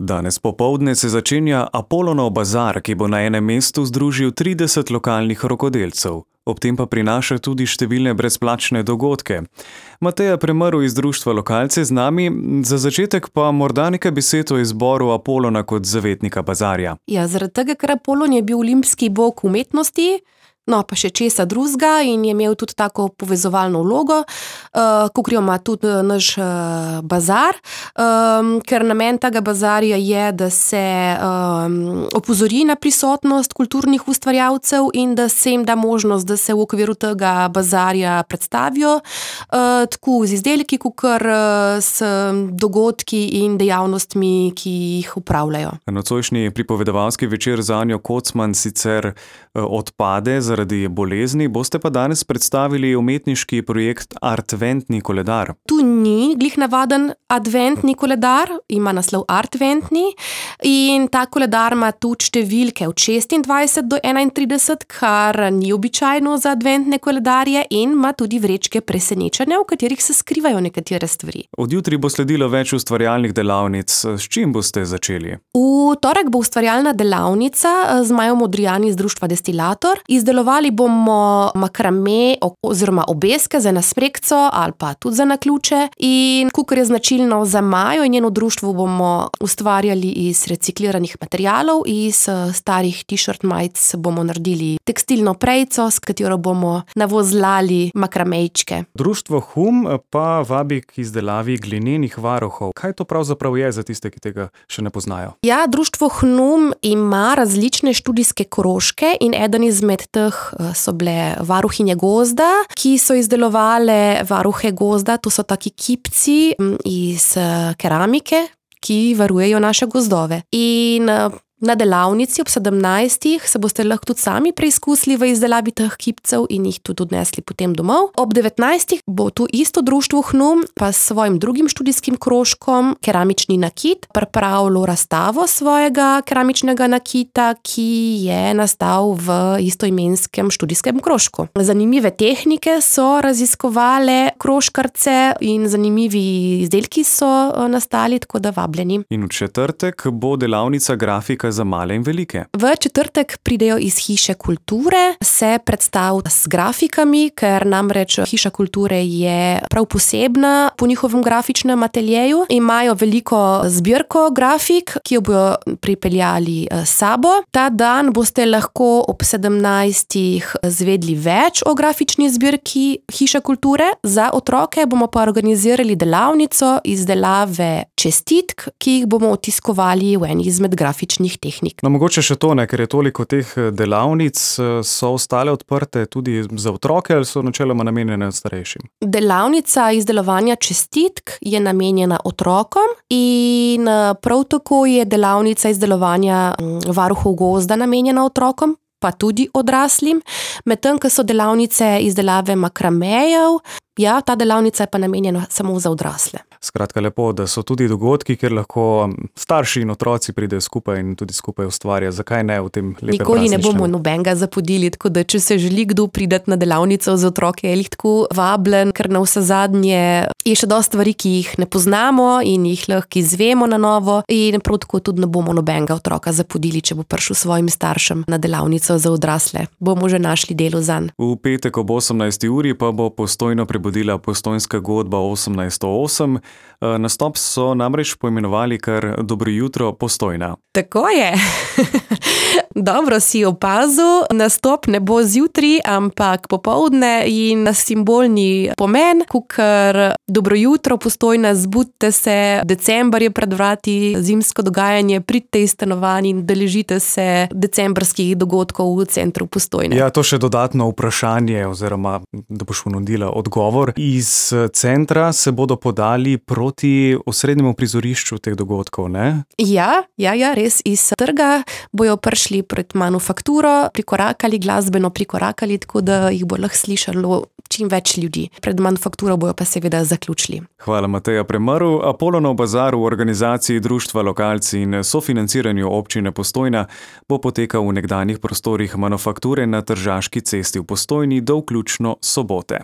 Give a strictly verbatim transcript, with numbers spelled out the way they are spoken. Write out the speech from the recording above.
Danes popoldne se začenja Apolonov bazar, ki bo na enem mestu združil trideset lokalnih rokodelcev. Ob tem pa prinaša tudi številne brezplačne dogodke. Mateja Premrl iz društva Lokalci z nami, za začetek pa morda nekaj besed o izboru Apolona kot zavetnika bazarja. Ja, zaradi tega, ker Apolon je bil olimpski bog umetnosti, no pa še česa drugega in je imel tudi tako povezovalno vlogo, uh, kakor jo ima tudi naš uh, bazar, um, ker namen tega bazarja je, da se um, opozori na prisotnost kulturnih ustvarjalcev in da se jim da možnost, da se v okviru tega bazarja predstavijo, uh, tako z izdelki, kakor uh, s dogodki in dejavnostmi, ki jih upravljajo. Nocojšnji pripovedovalski večer z Anjo Kocman sicer uh, odpade zaradi bolezni, boste pa danes predstavili umetniški projekt Artventni koledar. Tu ni glih navaden adventni koledar, ima naslov Artventni in ta koledar ima tudi številke od šestindvajset do enaintrideset, kar ni običajno za adventne koledarje, in ima tudi vrečke presenečenja, v katerih se skrivajo nekatere stvari. Od jutri bo sledilo več ustvarjalnih delavnic. S čim boste začeli? V torek bo ustvarjalna delavnica z Majo Modrijani iz društva Destilator. Izdelovali bomo makrame oziroma obeske za nasmrekco ali pa tudi za naključe, in kakor je značilno za Majo in njeno društvo, bomo ustvarjali iz recikliranih materialov, iz starih t-shirt majic bomo naredili tekstilno prejico, s katero bomo navozlali makramejčke. Društvo Hum pa vabi k izdelavi glinenih varuhov. Kaj to pravzaprav je za tiste, ki tega še ne poznajo? Ja, društvo Hum ima različne študijske krožke in eden izmed teh so bile varuhinje gozda, ki so izdelovale varuhe gozda. To so taki kipci iz keramike, ki varujejo naše gozdove. In na delavnici ob sedemnajstih se boste lahko tudi sami preizkusili v izdelavi teh kipcev in jih tudi odnesli potem domov. Ob devetnajstih bo tu isto društvo Hnum pa s svojim drugim študijskim krožkom Keramični nakit pripravilo razstavo svojega keramičnega nakita, ki je nastal v istoimenskem študijskem krožku. Zanimive tehnike so raziskovale krožkarce in zanimivi izdelki so nastali, tako da vabljeni. In v četrtek bo delavnica grafika za male in velike. V četrtek pridejo iz Hiše kulture se predstaviti s grafikami, ker namreč Hiša kulture je prav posebna po njihovem grafičnem ateljeju. Imajo veliko zbirko grafik, ki jo bojo pripeljali s sabo. Ta dan boste lahko ob sedemnajstih zvedli več o grafični zbirki Hiše kulture. Za otroke bomo pa organizirali delavnico izdelave čestitk, ki jih bomo otiskovali v eni izmed grafičnih tehnik. No, mogoče še to, ne, ker je toliko teh delavnic, so ostale odprte tudi za otroke ali so načeloma namenjene starejšim? Delavnica izdelovanja čestitk je namenjena otrokom in prav tako je delavnica izdelovanja varuhov gozda namenjena otrokom, pa tudi odraslim. Medtem, ko so delavnice izdelave makramejev, ja, ta delavnica je pa namenjena samo za odrasle. Skratka, lepo, da so tudi dogodki, kjer lahko starši in otroci pridejo skupaj in tudi skupaj ustvarja. Zakaj ne v tem lepem prazničnem? Nikoli ne bomo nobenega zapodili, tako da če se želi kdo priti na delavnico za otroke, je jih tako vabljen, ker na vse zadnje je še dosti stvari, ki jih ne poznamo in jih lahko izvemo na novo, in prav tako tudi ne bomo nobenega otroka zapodili, če bo prišel svojim staršem na delavnico za odrasle. Bomo že našli delo zanj. V petek ob osemnajsti uri pa bo Postojno prebudila Postojnska godba osemnajststo osem. Nastop so namreč poimenovali kar Dobro jutro, Postojna. Tako je. Dobro si opazil, nastop ne bo zjutraj, ampak popoldne in simbolni pomen, kakor dobro jutro, Postojna, zbudite se, december je pred vrati, zimsko dogajanje, pridite iz stanovanj in udeležite se decembrskih dogodkov v centru Postojne. Ja, to še dodatno vprašanje, oziroma da boš ponudila odgovor. Iz centra se bodo podali proti osrednjemu prizorišču teh dogodkov, ne? Ja, ja, ja, res iz trga bojo prišli pred manufakturo, prikorakali, glasbeno prikorakali, tako da jih bo lahko slišalo čim več ljudi. Pred manufakturo bojo pa seveda zaključili. Hvala, Mateja Premrl. Apolonov bazar v organizaciji društva Lokalci in sofinanciranju občine Postojna bo potekal v nekdanjih prostorih manufakture na Tržaški cesti v Postojni do vključno sobote.